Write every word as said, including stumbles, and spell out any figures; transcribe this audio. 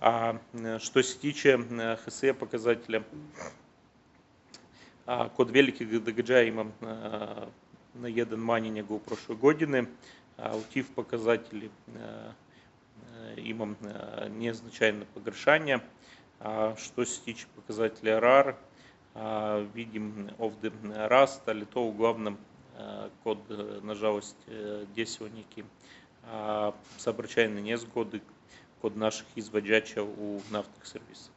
А м, що се тиче ХСЕ показателя, а, kod velikih događaja imam а, na jedan manje nego u prošloj godini, a u тиф показатели а, а, имам а, незначительное погоршение. А что се тиче показателя РАР, а, видим овде раст, ali to uglavnom а, kod, nažalost, desilo neki a, saobraćajne nezgode kod naših izvođača u naftnih servisa.